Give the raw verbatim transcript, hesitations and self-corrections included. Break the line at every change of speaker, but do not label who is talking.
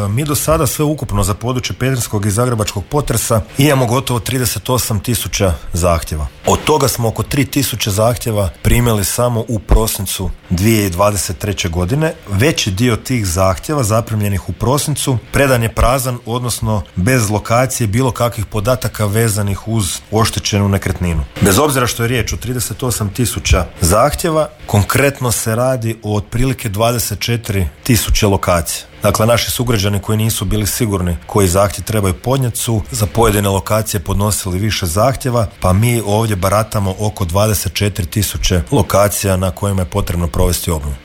mi do sada sve ukupno za područje petrinjskog i zagrebačkog potresa imamo gotovo trideset osam tisuća zahtjeva. Od toga smo oko tri tisuće zahtjeva primili samo u prosincu dvije tisuće dvadeset treće. godine. Veći dio tih zahtjeva zaprimljenih u prosincu predan je prazan, odnosno bez lokacije bilo kakvih podataka vezanih uz oštećenu nekretninu. Bez obzira što je riječ o trideset osam tisuća zahtjeva, konkretno se radi o otprilike dvadeset četiri tisuće lokacija. Dakle, naši sugrađani koji nisu bili sigurni koji zahtjev trebaju podnijeti su za pojedine lokacije podnosili više zahtjeva, pa mi ovdje baratamo oko dvadeset četiri tisuće lokacija na kojima je potrebno provesti obnovu.